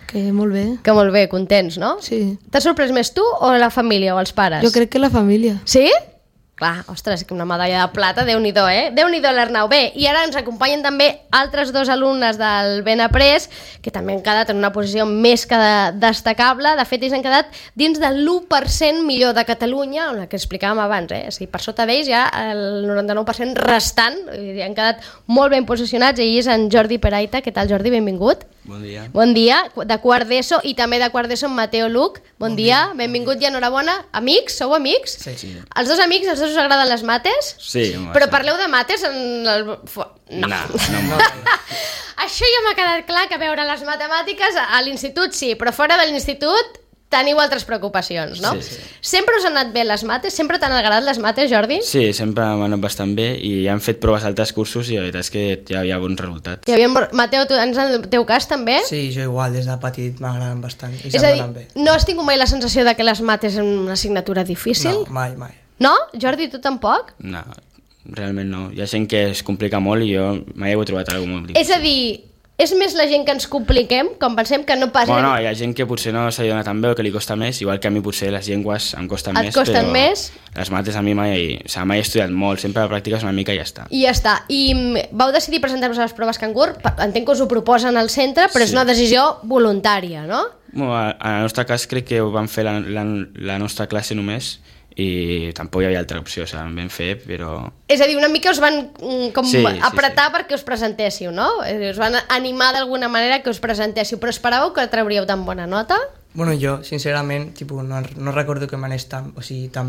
Que molt bé. Que molt bé, contents, no? Sí. T'has sorprès més tu o la família o els pares? Jo crec que la família. Sí? Clar, ostres, que una medalla de plata, Déu-n'hi-do, Déu-n'hi-do l'Arnau. Bé, i ara ens acompanyen també altres 2 alumnes del Benaprés, que també han quedat en una posició més que destacable. De fet, ells han quedat dins del 1% millor de Catalunya, on la que explicàvem abans, O sigui, per sota d'ells ja el 99% restant, han quedat molt ben posicionats. Ell és en Jordi Peraita. Què tal, Jordi? Benvingut. Bon dia. Bon dia, de quart d'ESO, i també de quart d'ESO en Mateo Luc. Bon dia, benvingut i enhorabona. Amics? Sou amics? Sí. Els 2 amics, els 2 us agraden les mates? Sí. Però parleu de mates en el... No. això ja m'ha quedat clar, que a veure, les matemàtiques a l'institut sí, però fora de l'institut teniu altres preocupacions, no? Sí. Sempre us han anat bé les mates? Sempre t'han agradat les mates, Jordi? Sí, sempre m'han anat bastant bé i han fet proves a altres cursos i la veritat és que ja hi ha bons resultats. Mateu, tu en el teu cas també? Sí, jo igual, des de petit m'agraden bastant i És a se'm dir, donen bé. no has tingut mai la sensació de que les mates són una assignatura difícil? No, mai. No? Jordi, tu tampoc? No, realment no. Hi ha gent que es complica molt i jo mai he trobat alguna molt difícil. És a dir, és més la gent que ens compliquem, com pensem que no pas... Bueno, hi ha gent que potser no se li dona tan bé o que li costa més, igual que a mi potser les llengües em costen més, costen però més? les mates a mi mai he estudiat molt, sempre la pràctiques una mica i ja està. I ja està. I vau decidir presentar-vos a les proves Cangur, entenc que us ho proposen al centre, però és una decisió voluntària, no? Bueno, en el nostre cas crec que ho vam fer la nostra classe només i tampoc hi havia altra opció, o sigui, vam fer, però... És a dir, una mica us van apretar sí. perquè us presentéssiu, no? Us van animar d'alguna manera que us presentéssiu, però esperàveu que trauríeu tan bona nota? Bueno, jo, sincerament, no recordo que m'anés tan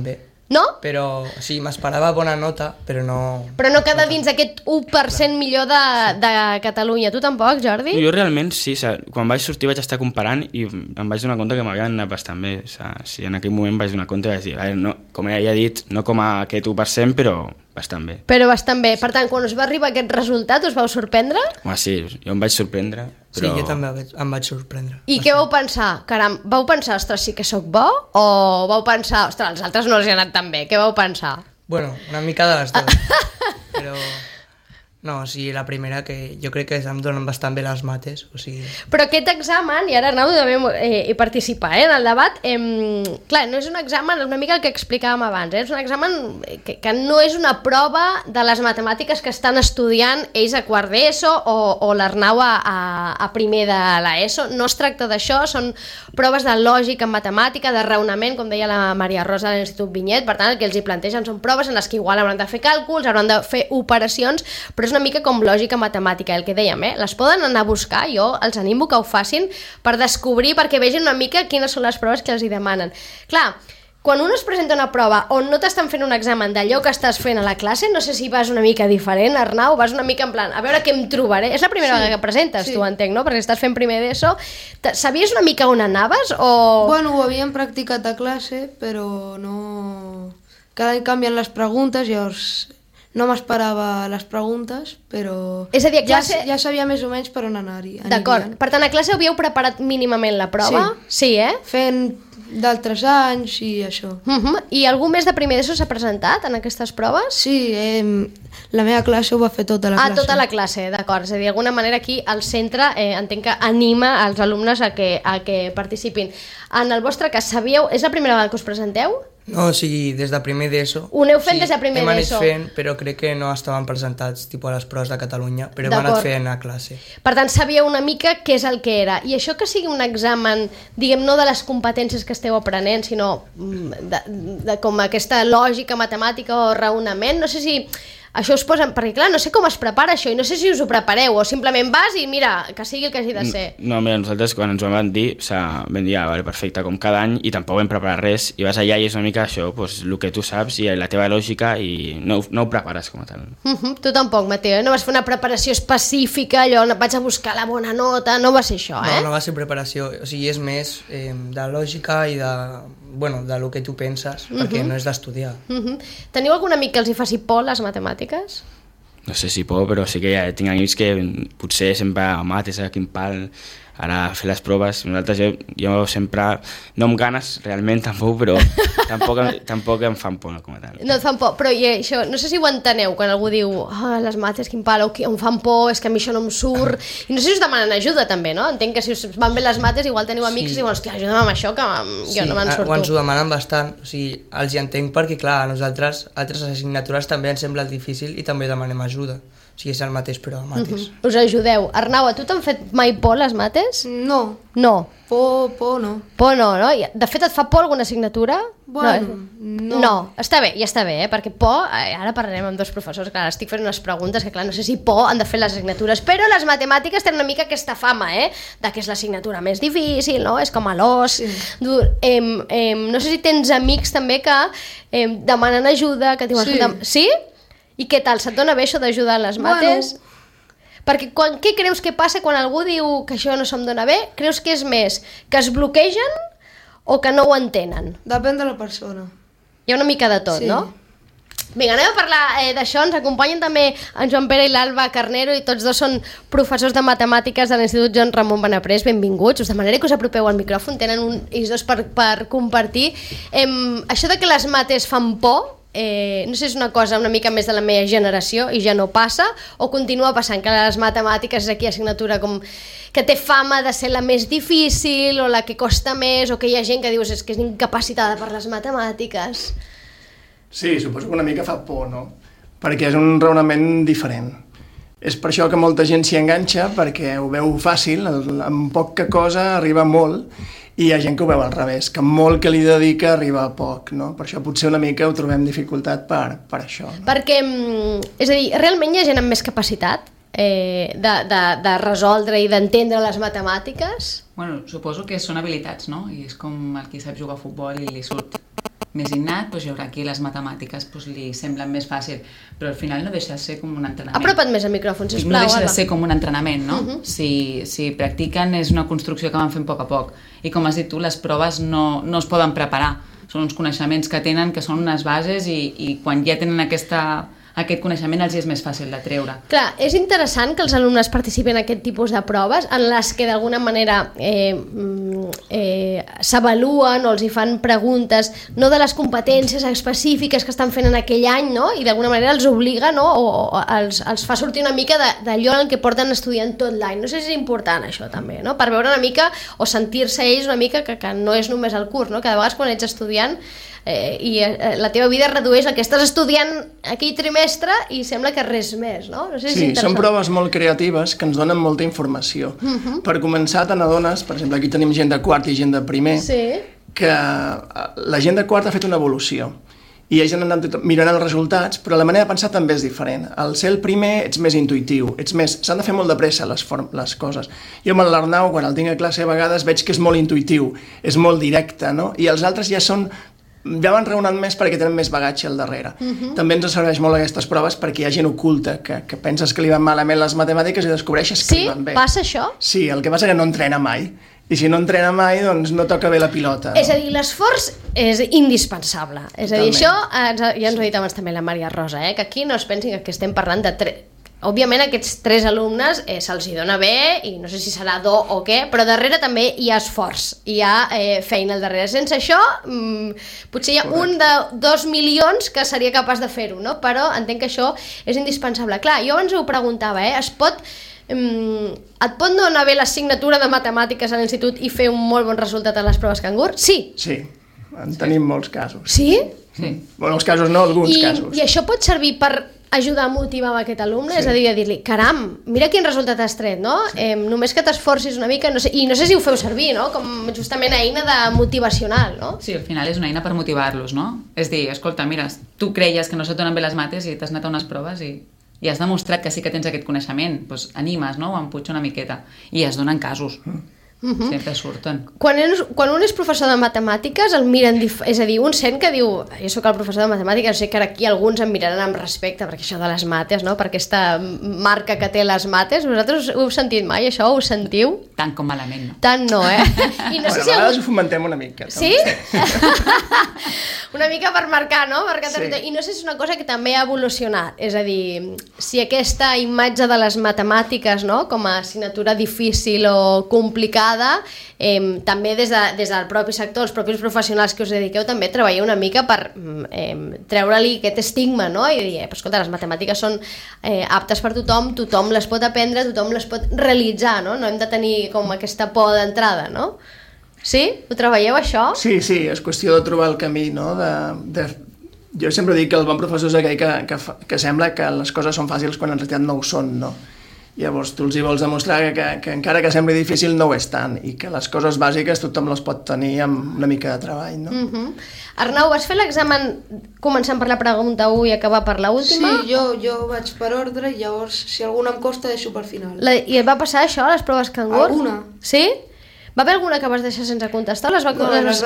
bé. No? Però, sí, m'esperava bona nota, però no... Però no queda dins aquest 1% millor de Catalunya. Tu tampoc, Jordi? Jo realment sí, quan vaig sortir vaig estar comparant i em vaig donar compte que m'havien anat bastant bé. Sí, en aquell moment vaig donar compte i vaig dir, a veure, no, com ja he dit, no com a aquest 1%, però bastant bé. Però bastant bé. Per tant, quan us va arribar aquest resultat, us vau sorprendre? Home, sí, jo em vaig sorprendre, però... Sí, jo també em vaig sorprendre. I què vau pensar? Caram, vau pensar, ostres, sí que sóc bo? O vau pensar, ostres, als altres no els hi ha anat tan bé? Què vau pensar? Bueno, una mica de les dues. Però... No, o sigui, la primera que jo crec que em donen bastant bé les mates, o sigui... Però aquest examen, i ara Arnau també hi participa en el debat, clar, no és un examen, és una mica el que explicàvem abans, és un examen que no és una prova de les matemàtiques que estan estudiant ells a quart d'ESO o l'Arnau a primer de l'ESO, no es tracta d'això, són proves de lògica en matemàtica, de raonament, com deia la Maria Rosa de l'Institut Vinyet, per tant el que els hi plantegen són proves en les que igual hauran de fer càlculs, hauran de fer operacions, però és una mica com lògica matemàtica, el que dèiem, les poden anar a buscar, jo els animo que ho facin per descobrir, perquè vegin una mica quines són les proves que els hi demanen. Clar, quan un es presenta una prova on no t'estan fent un examen d'allò que estàs fent a la classe, no sé si vas una mica diferent, Arnau, vas una mica en plan, a veure què em trobaré. És la primera vegada que presentes, tu entenc, no? Perquè estàs fent primer d'ESO. Sabies una mica on anaves o...? Bueno, ho havíem practicat a classe, però no... Cada any canvien les preguntes, llavors... No m'esperava les preguntes, però és a dir, a classe... ja sabia més o menys per on anar-hi. D'acord. Per tant, a classe havíeu preparat mínimament la prova? Sí, Fent d'altres anys i això. I algú més de primer d'ESO s'ha presentat en aquestes proves? Sí, la meva classe ho va fer tota la classe. Tota la classe, d'acord. És a dir, d'alguna manera aquí el centre entenc que anima els alumnes a que participin. En el vostre cas, sabíeu... És la primera vegada que us presenteu? No, o sigui, des de primer d'ESO. Ho aneu fent des de primer d'ESO? Hem anat fent, però crec que no estaven presentats tipus a les proves de Catalunya, però hem anat fent a classe. Per tant, sabíeu una mica què és el que era. I això que sigui un examen, diguem, no de les competències que esteu aprenent, sinó de com aquesta lògica matemàtica o raonament, no sé si... Això us posen... Perquè, clar, no sé com es prepara això i no sé si us ho prepareu o simplement vas i mira, que sigui el que hagi de ser. No, mira, nosaltres quan ens ho van dir, vam dir, vale, perfecte, com cada any, i tampoc vam preparar res, i vas allà i és una mica això, pues, el que tu saps i la teva lògica i no ho prepares com a tal. Tu tampoc, Mateo, no vas fer una preparació específica, allò, vaig a buscar la bona nota, no va ser això, No va ser preparació, o sigui, és més de lògica i de lo que tu penses, perquè no és d'estudiar. Teniu algun amic que els hi faci por les matemàtiques? No sé si por, però sí que ja tinc amics que potser sempre mates a quin pal, ara fer les proves. Nosaltres jo sempre, no amb ganes realment tampoc, però tampoc em fan por com a tal. No et fan por, però això, no sé si ho enteneu quan algú diu les mates, quin pal, o em fan por, és que a mi això no em surt, i no sé si us demanen ajuda també, no? Entenc que si us van bé les mates igual teniu amics i diuen, hòstia, ajuda'm amb això que jo no me'n surto. Sí, ens ho demanen bastant, o sigui, els hi entenc perquè clar, a nosaltres altres assignatures també ens sembla difícil i també demanem ajuda. O sigui, és el mateix, però a mates. Us ajudeu. Arnau, a tu t'han fet mai por les mates? No. No. Por no. Por no, no? De fet, et fa por alguna assignatura? Bueno, no. No, està bé, ja està bé, perquè por, ara parlarem amb dos professors, clar, estic fent unes preguntes que clar, no sé si por han de fer les assignatures, però les matemàtiques tenen una mica aquesta fama, de que és l'assignatura més difícil, no? És com a l'os. Sí. No sé si tens amics també que demanen ajuda, que diuen... Sí. Sí? I què tal? Se't dona bé això d'ajudar a les mates? Bueno. Perquè què creus que passa quan algú diu que això no se'm dona bé? Creus que és més que es bloquegen o que no ho entenen? Depèn de la persona. Hi ha una mica de tot, Sí. no? Vinga, anem a parlar d'això. Ens acompanyen també en Joan Pere i l'Alba Carnero i tots dos són professors de matemàtiques de l'Institut Joan Ramon Benaprés. Benvinguts. Us demanaré que us apropeu al micròfon. Tenen ells dos per compartir. Això de que les mates fan por, no sé si és una cosa una mica més de la meva generació i ja no passa, o continua passant que les matemàtiques és aquí assignatura com que té fama de ser la més difícil o la que costa més, o que hi ha gent que dius és que és incapacitada per les matemàtiques. Sí, suposo que una mica fa por, no? Perquè és un raonament diferent. És per això que molta gent s'hi enganxa, perquè ho veu fàcil, amb poca cosa arriba molt, i hi ha gent que ho veu al revés, que molt que li dedica arriba a poc, no? Per això potser una mica ho trobem dificultat per això. No? Perquè, és a dir, realment hi ha gent amb més capacitat de resoldre i d'entendre les matemàtiques? Bueno, suposo que són habilitats, no? I és com el qui sap jugar a futbol i li surt més innat, doncs hi haurà aquí les matemàtiques doncs li semblen més fàcil, però al final no deixa de ser com un entrenament. Apropa't més al micròfon, sisplau. No deixa de ser com un entrenament, no? Si practiquen és una construcció que van fent a poc a poc. I com has dit tu, les proves no es poden preparar. Són uns coneixements que tenen, que són unes bases i quan ja tenen aquest coneixement els és més fàcil de treure. Clar, és interessant que els alumnes participin en aquest tipus de proves en les que d'alguna manera s'avaluen o els hi fan preguntes no de les competències específiques que estan fent en aquell any, no? I d'alguna manera els obliga, no? o els fa sortir una mica d'allò en què porten estudiant tot l'any. No sé si és important això també, no? Per veure una mica o sentir-se ells una mica que no és només el curs, no? Que de vegades quan ets estudiant la teva vida es redueix al que estàs estudiant aquell trimestre i sembla que res més, no? No sé si sí, són proves molt creatives que ens donen molta informació. Per començar, te n'adones, per exemple, aquí tenim gent de quart i gent de primer, que la gent de quart ha fet una evolució i ells han anat mirant els resultats, però la manera de pensar també és diferent. Al ser el primer ets més intuïtiu, s'han de fer molt de pressa les coses. Jo amb l'Arnau, quan el tinc a classe, a vegades veig que és molt intuïtiu, és molt directe, no? I els altres ja van raonant més perquè tenen més bagatge al darrere. També ens serveix molt aquestes proves perquè hi ha gent oculta que penses que li van malament les matemàtiques i descobreixes que li van bé. Sí? Passa això? Sí, el que passa és que no entrena mai. I si no entrena mai, doncs no toca bé la pilota. No? És a dir, l'esforç és indispensable. És a dir, això ja ens ho ha dit abans també la Maria Rosa, que aquí no es pensin que estem parlant de òbviament aquests 3 alumnes se'ls hi dona bé i no sé si serà do o què, però darrere també hi ha esforç, hi ha feina al darrere. Sense això potser hi ha un de 2 milions que seria capaç de fer-ho, no? Però entenc que això és indispensable. Clar, jo abans ho preguntava, et pot no anar bé l'assignatura de matemàtiques a l'institut i fer un molt bon resultat a les proves Cangur? Sí. Sí, en tenim molts casos. Sí? Sí. Bueno, els casos no, alguns casos. I això pot servir per ajudar a motivar aquest alumne, és a dir, a dir-li, caram, mira quin resultat has tret, no? Només que t'esforcis una mica, i no sé si ho feu servir, no? Com justament eina de motivacional, no? Sí, al final és una eina per motivar-los, no? És dir, escolta, mira, tu creies que no se't donen bé les mates i t'has anat a unes proves i has demostrat que sí que tens aquest coneixement, doncs animes, no? Ho empuja una miqueta. I es donen casos. Sempre surten. Quan un és professor de matemàtiques el miren, és a dir, un sent que diu jo sóc el professor de matemàtiques, sé que aquí alguns em miraran amb respecte perquè això de les mates, no? Per aquesta marca que té les mates, vosaltres ho heu sentit mai, això? Ho sentiu? Tant com malament, no? Tant no, I no sé si a vegades ho fomentem una mica. Sí? Una mica per marcar, no? I no sé si és una cosa que també ha evolucionat, és a dir, si aquesta imatge de les matemàtiques, no? Com a assignatura difícil o complicada, també des del propi sector, els propis professionals que us dediqueu també treballeu una mica per treure-li aquest estigma, no? I dir, escolta, les matemàtiques són aptes per tothom les pot aprendre, tothom les pot realitzar, no? No hem de tenir com aquesta por d'entrada, no? Sí? Ho treballeu, això? Sí, és qüestió de trobar el camí, no? Jo sempre dic que el bon professor és aquell que sembla que les coses són fàcils quan en realitat no ho són, no? Llavors tu els hi vols demostrar que encara que sembli difícil no ho és tant i que les coses bàsiques tothom les pot tenir amb una mica de treball, no? Arnau, vas fer l'examen començant per la pregunta 1 i acabar per l'última? Sí, jo vaig per ordre i llavors si alguna em costa deixo per final. I et va passar això, les proves Cangur? Alguna. Sí? Va haver alguna que vas deixar sense contestar? No, les vaig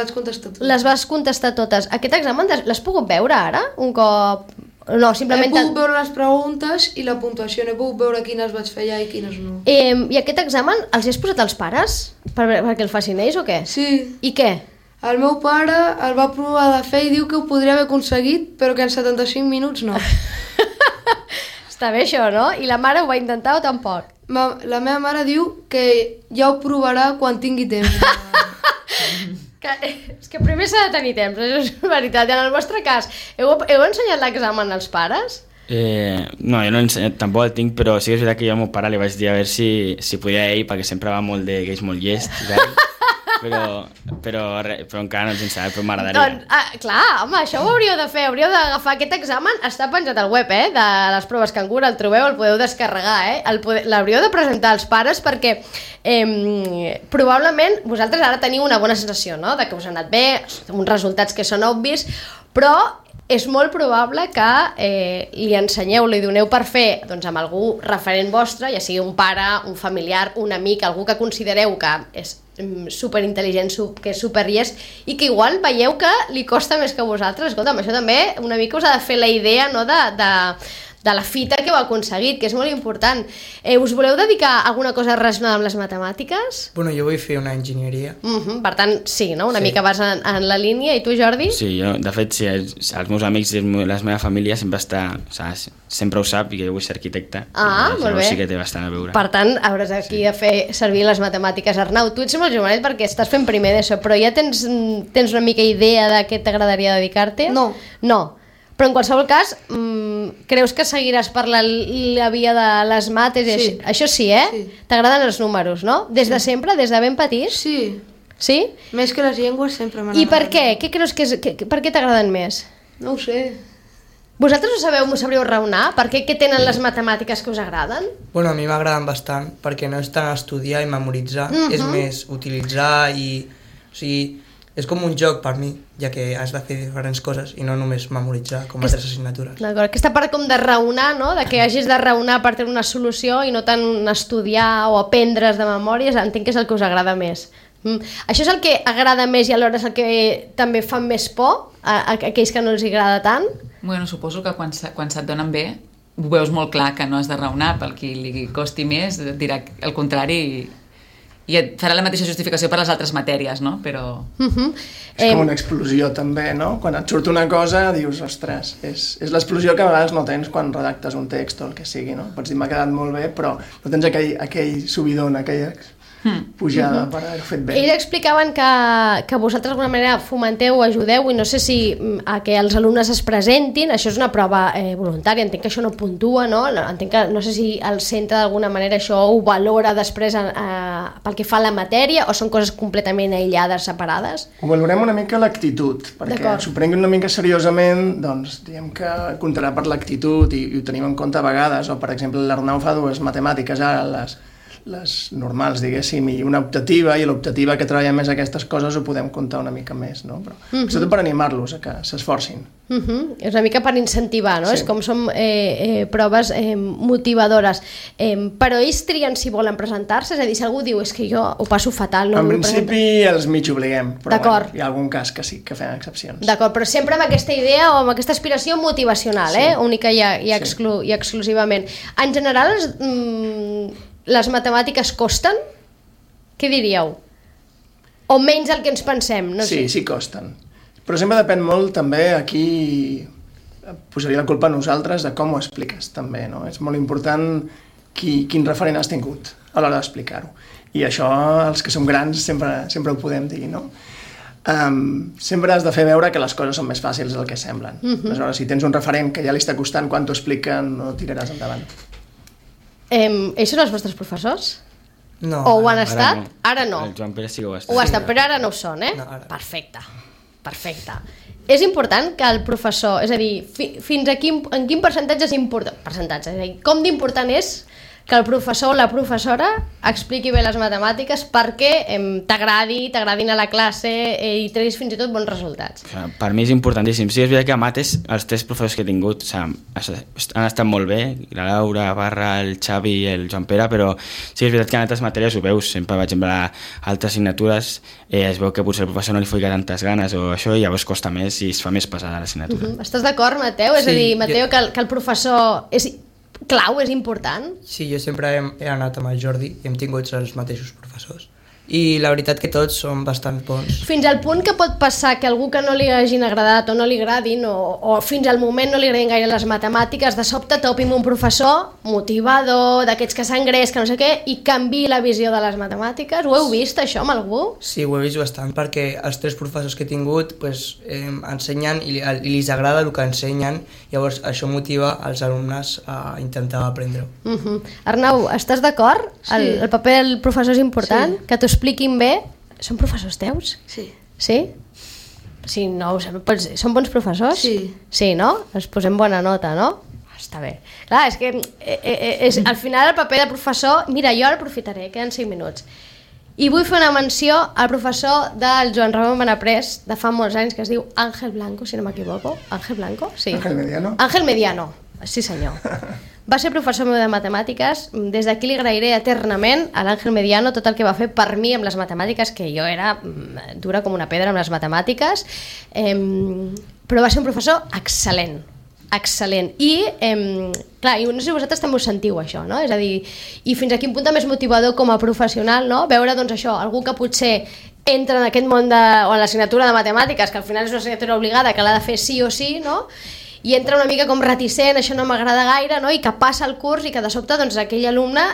contestar totes. Les vas contestar totes. Aquest examen l'has pogut veure ara? Un cop no, simplement... He pogut veure les preguntes i la puntuació, no he pogut veure quines vaig fer allà i quines no. I aquest examen els hi has posat als pares? Perquè el facin ells o què? Sí. I què? El meu pare el va provar de fer i diu que ho podria haver aconseguit, però que en 75 minuts no. Està bé això, no? I la mare ho va intentar o tampoc? La meva mare diu que ja ho provarà quan tingui temps. És que primer s'ha de tenir temps, això és veritat. I en el vostre cas, heu ensenyat l'examen als pares? No, jo no he ensenyat, tampoc el tinc, però sí que és veritat que jo al meu pare li vaig dir a veure si podia ell, perquè sempre va molt de que és molt llest i tal. Però encara no els he ensenyat, però m'agradaria. Doncs, clar, home, això ho hauríeu de fer, hauríeu d'agafar aquest examen, està penjat al web, de les proves Cangur, el trobeu, el podeu descarregar, l'hauríeu de presentar als pares perquè probablement vosaltres ara teniu una bona sensació, no?, de que us ha anat bé, uns resultats que són obvis, però és molt probable que li ensenyeu, li doneu per fer doncs, amb algú referent vostre, ja sigui un pare, un familiar, un amic, algú que considereu que és superintel·ligent, que és superllest i que igual veieu que li costa més que a vosaltres. Escolta'm, això també una mica us ha de fer la idea, no?, de la fita que heu aconseguit, que és molt important. Us voleu dedicar a alguna cosa relacionada amb les matemàtiques? Bueno, jo vull fer una enginyeria. Per tant, sí, no? Una mica vas en la línia. I tu, Jordi? Sí, jo, de fet, sí, els meus amics i la meva família sempre ho sap i que jo vull ser arquitecte. Molt bé. Sí que té bastant a veure. Per tant, hauràs aquí de fer servir les matemàtiques. Arnau, tu ets molt jovenet perquè estàs fent primer d'ESO, però ja tens una mica idea de què t'agradaria dedicar-te? No. No. Però en qualsevol cas, creus que seguiràs per la via de les mates? Sí. Això sí, Sí. T'agraden els números, no? Des de sempre, des de ben petits? Sí. Sí? Més que les llengües sempre m'han I per agradat. què? Què creus per què t'agraden més? No ho sé. Vosaltres m'ho sabríeu raonar? Per què tenen les matemàtiques que us agraden? Bueno, a mi m'agraden bastant, perquè no és tant estudiar i memoritzar, és més utilitzar i... O sigui, és com un joc per mi, ja que has de fer diferents coses i no només memoritzar com altres assignatures. D'acord, aquesta part com de raonar, no? De que hagis de raonar per tenir una solució i no tant estudiar o aprendre's de memòries, entenc que és el que us agrada més. Això és el que agrada més i alhora és el que també fa més por a aquells que no els agrada tant? Bueno, suposo que quan se't donen bé ho veus molt clar que no has de raonar, pel qui li costi més dirà el contrari i et farà la mateixa justificació per les altres matèries, no? Però... És com una explosió també, no? Quan et surt una cosa dius, ostres, és l'explosió que a vegades no tens quan redactes un text o el que sigui, no? Pots dir, m'ha quedat molt bé, però no tens aquell subidon, aquella pujada per haver-ho fet bé. Ells explicaven que vosaltres d'alguna manera fomenteu o ajudeu i no sé si a que els alumnes es presentin, això és una prova voluntària, entenc que això no puntua, no? Entenc que no sé si el centre d'alguna manera això ho valora després pel que fa a la matèria o són coses completament aïllades, separades? Ho valorem una mica l'actitud, perquè s'ho prenguin una mica seriosament, doncs diem que comptarà per l'actitud i ho tenim en compte a vegades, o per exemple l'Arnau fa 2 matemàtiques ara, les normals, diguéssim, i una optativa, i l'optativa que treballa més aquestes coses ho podem comptar una mica més, no? Però sobretot per animar-los a que s'esforcin. És una mica per incentivar, no? Sí. És com som proves motivadores. Però ells trien si volen presentar-se? És a dir, si algú diu és que jo ho passo fatal, no en vull principi els mig obliguem, però bueno, hi ha algun cas que sí, que fem excepcions. D'acord, però sempre amb aquesta idea o amb aquesta aspiració motivacional, única i exclusivament. En general, les matemàtiques costen? Què diríeu? O menys del que ens pensem? No sé. Sí costen. Però sempre depèn molt també, aquí posaria la culpa a nosaltres de com ho expliques també, no? És molt important quin referent has tingut a l'hora d'explicar-ho. I això els que som grans sempre ho podem dir, no? Sempre has de fer veure que les coses són més fàcils del que semblen. Aleshores, si tens un referent que ja li està costant quan t'ho expliquen, no tiraràs endavant. Ells són els vostres professors? No. O ho han estat? Ara no. El Joan Pere sí que ho ha estat. Ho ha estat, però ara no ho són, No, ara. Perfecte. És important que el professor, és a dir, fins en quin percentatge és important? És a dir, com d'important és que el professor o la professora expliqui bé les matemàtiques perquè t'agradin a la classe i treguis fins i tot bons resultats. Per mi és importantíssim. Sí, és veritat que a mates els 3 professors que he tingut han estat molt bé, la Laura, Barra, el Xavi i el Joan Pere, però sí és veritat que en altres matèries ho veus. Sempre, per exemple, a altres assignatures es veu que potser el professor no li fica tantes ganes o això i llavors costa més i es fa més pesada l'assignatura. Estàs d'acord, Mateu? És a dir, Mateu, que el professor és clau, és important? Sí, jo sempre he anat amb el Jordi i hem tingut els mateixos professors. I la veritat que tots són bastant bons. Fins al punt que pot passar que algú que no li hagin agradat o no li agradin o fins al moment no li agradin gaire les matemàtiques, de sobte topi amb un professor motivador, d'aquests que s'engreix, que no sé què, i canvi la visió de les matemàtiques. Ho heu vist, això, amb algú? Sí, ho he vist bastant, perquè els 3 professors que he tingut ensenyen i li agrada el que ensenyen, llavors això motiva els alumnes a intentar aprendre-ho. Arnau, estàs d'acord? Sí. El paper del professor és important? Sí. Que t'ho expliquin bé? Són professors teus? Sí. Sí? Sí, no, són bons professors? Sí. Sí, no? Els posem bona nota, no? Està bé. Clar, és que al final el paper del professor... Mira, jo ara aprofitaré, queden 5 minuts. I vull fer una menció al professor del Joan Ramon Benaprés de fa molts anys, que es diu Ángel Blanco, si no m'equivoco. Ángel Blanco? Sí. Ángel Mediano. Ángel Mediano, sí senyor. Va ser professor meu de matemàtiques. Des d'aquí li agrairé eternament a l'Àngel Mediano tot el que va fer per mi amb les matemàtiques, que jo era dura com una pedra amb les matemàtiques, però va ser un professor excel·lent. I, clar, i no sé si vosaltres també us sentiu això, no? És a dir, i fins a quin punt també és motivador com a professional, no? Veure, doncs, això, algú que potser entra en aquest món o en l'assignatura de matemàtiques, que al final és una assignatura obligada, que l'ha de fer sí o sí, no? I entra una mica com reticent, això no m'agrada gaire, no? I que passa el curs i que de sobte doncs, aquell alumne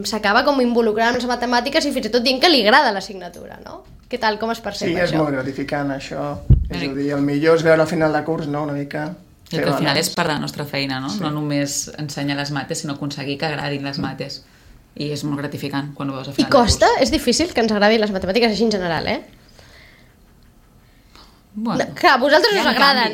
s'acaba com involucrant en les matemàtiques i fins i tot dient que li agrada l'assignatura, no? Què tal, com es percep això? Sí, és molt gratificant això. És a dir, el millor és veure al final de curs, no? Una mica... Que al final és per la nostra feina, no? Sí. No només ensenyar les mates, sinó aconseguir que agradin les mates. I és molt gratificant quan ho veus al final de curs. I costa? És difícil que ens agradin les matemàtiques així en general, eh? Bueno, no, clar, a vosaltres us agraden.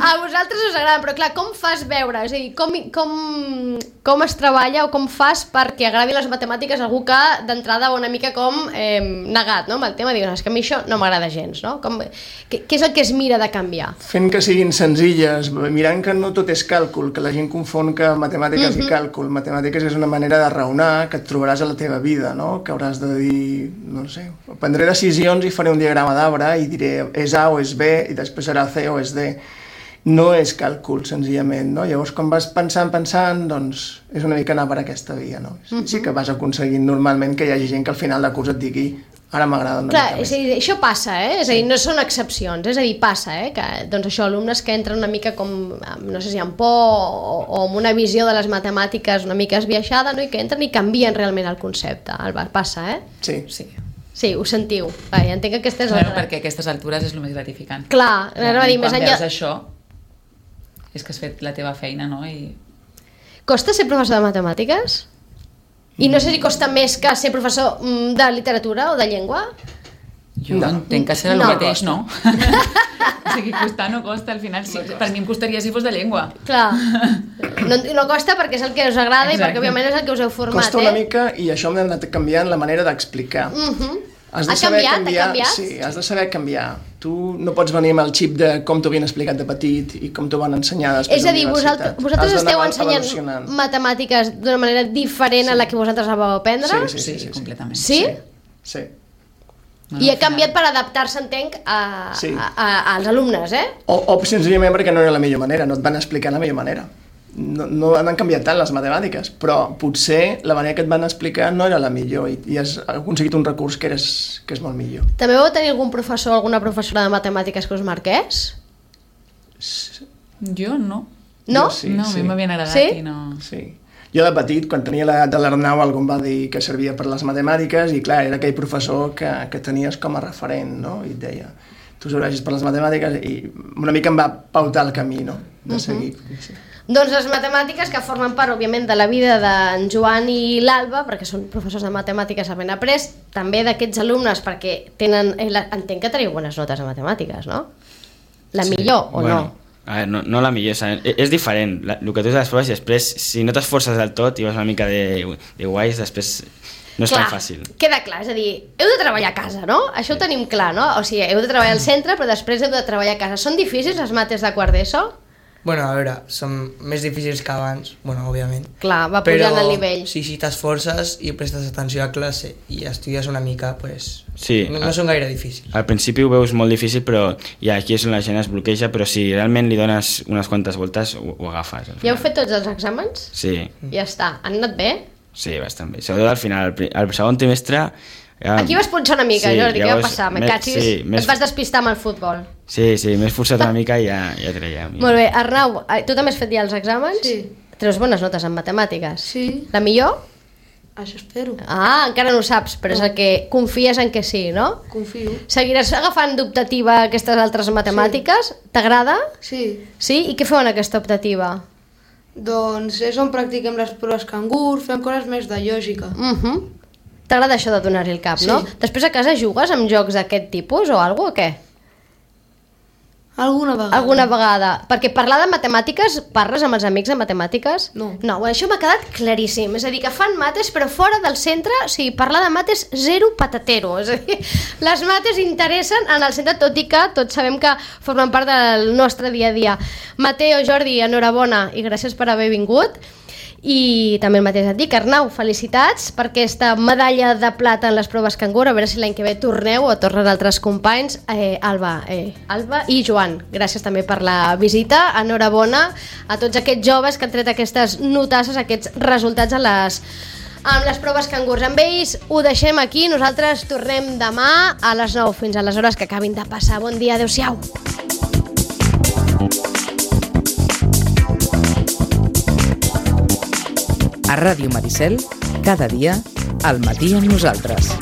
A vosaltres us agraden, però clar, com fas veure? És a dir, com es treballa o com fas perquè agradi les matemàtiques a algú que d'entrada va una mica com negat, no? Amb el tema, dius, és que a mi això no m'agrada gens, no? Què és el que es mira de canviar? Fent que siguin senzilles, mirant que no tot és càlcul, que la gent confon que matemàtiques i càlcul. Matemàtiques és una manera de raonar que et trobaràs a la teva vida, no? Que hauràs de dir, no sé, prendré decisions i faré un diagrama d'arbre i diré és A o és B i després serà C o és D. No és càlcul, senzillament, no? Llavors, quan vas pensant, doncs és una mica anar per aquesta via, no? Sí que vas aconseguint normalment que hi hagi gent que al final de curs et digui ara m'agrada una mica més. Clar, això passa, eh? És a dir, no són excepcions, és a dir, passa, eh? Que, doncs això, alumnes que entren una mica com, no sé si amb por o amb una visió de les matemàtiques una mica esbiaixada, no? I que entren i canvien realment el concepte. Passa, eh? Sí. Sí, ho sentiu. Clar, ja entenc que aquestes... Claro, perquè a aquestes altures és el més gratificant. Clar, anava a dir, més enllà... Quan veus això, és que has fet la teva feina, no? Costa ser professor de matemàtiques? I no sé si costa més que ser professor de literatura o de llengua? Jo entenc que serà el mateix, no? O sigui, costar no costa, al final sí. Per mi em costaria si fos de llengua. Clar. No costa perquè és el que us agrada i perquè òbviament és el que us heu format, Costa una mica i això m'ha anat canviant la manera d'explicar. Has de saber canviar. Sí, has de saber canviar. Tu no pots venir amb el xip de com t'ho havien explicat de petit i com t'ho van ensenyar després a la universitat. Vosaltres esteu ensenyant matemàtiques d'una manera diferent a la que vosaltres la vau aprendre? Sí, completament. Sí? Sí. I ha canviat per adaptar-se, entenc, als alumnes, eh? O senzillament perquè no era la millor manera, no et van explicar la millor manera. No han canviat tant les matemàtiques, però potser la manera que et van explicar no era la millor i has aconseguit un recurs que és molt millor. També vau tenir algun professor o alguna professora de matemàtiques que us marqués? Jo no. No? No, a mi m'havien agradat i no... Sí. Jo de petit, quan tenia l'edat de l'Arnau, algú em va dir que servia per les matemàtiques i clar, era aquell professor que tenies com a referent, no? I et deia, tu serveixes per les matemàtiques i una mica em va pautar el camí, no? De seguir. Sí. Doncs les matemàtiques que formen part, òbviament, de la vida d'en Joan i l'Alba, perquè són professors de matemàtiques a Benaprés, també d'aquests alumnes, perquè tenen... Entenc que teniu bones notes a matemàtiques, no? La millor o no? A veure, no la millor, és diferent. El que tu has de les proves i després, si no t'esforces del tot i vas una mica de guais, després no és tan fàcil. Queda clar, és a dir, heu de treballar a casa, no? Això ho tenim clar, no? O sigui, heu de treballar al centre, però després heu de treballar a casa. Són difícils les mates de quart d'ESO? Bueno, a veure, són més difícils que abans, bueno, òbviament. Clar, va pujant el nivell. Però si t'esforces i prestes atenció a classe i estudies una mica, pues, sí, no són gaire difícils. Al principi ho veus molt difícil, però ja aquí és on la gent es bloqueja, però si realment li dones unes quantes voltes, ho agafes. Ja heu fet tots els exàmens? Sí. Ja està. Han anat bé? Sí, bastant bé. Sobretot al final, al segon trimestre... Ja, aquí vas punxar una mica, sí, Jordi, què va passar? Me catxis, et vas despistar amb el futbol. Sí, m'he esforçat una mica i ja treia. Molt bé, Arnau, tu també has fet ja els exàmens? Sí. Treus bones notes en matemàtiques? Sí. La millor? Això espero. Ah, encara no ho saps, però és el que confies en que sí, no? Confio. Seguiràs agafant d'optativa aquestes altres matemàtiques? Sí. T'agrada? Sí. Sí? I què feu en aquesta optativa? Doncs és on practiquem les proves cangur, fem coses més de lògica. T'agrada això de donar-hi el cap, no? Després a casa jugues amb jocs d'aquest tipus o alguna cosa, o què? Alguna vegada. Alguna vegada. Perquè parlar de matemàtiques, parles amb els amics de matemàtiques? No. No, bueno, això m'ha quedat claríssim. És a dir, que fan mates, però fora del centre, o sigui, parlar de mates zero patatero. És a dir, les mates interessen en el centre, tot i que tots sabem que formen part del nostre dia a dia. Mateo, Jordi, enhorabona i gràcies per haver vingut. I també el mateix et dic, Arnau, felicitats per aquesta medalla de plata en les proves cangur, a veure si l'any que ve torneu o tornen altres companys. Alba i Joan, gràcies també per la visita, enhorabona a tots aquests joves que han tret aquestes notasses, aquests resultats amb les proves cangurs. Amb ells ho deixem aquí, nosaltres tornem demà a les 9, fins a les hores que acabin de passar. Bon dia, adeu-siau. A Ràdio Maricel, cada dia, al matí amb nosaltres.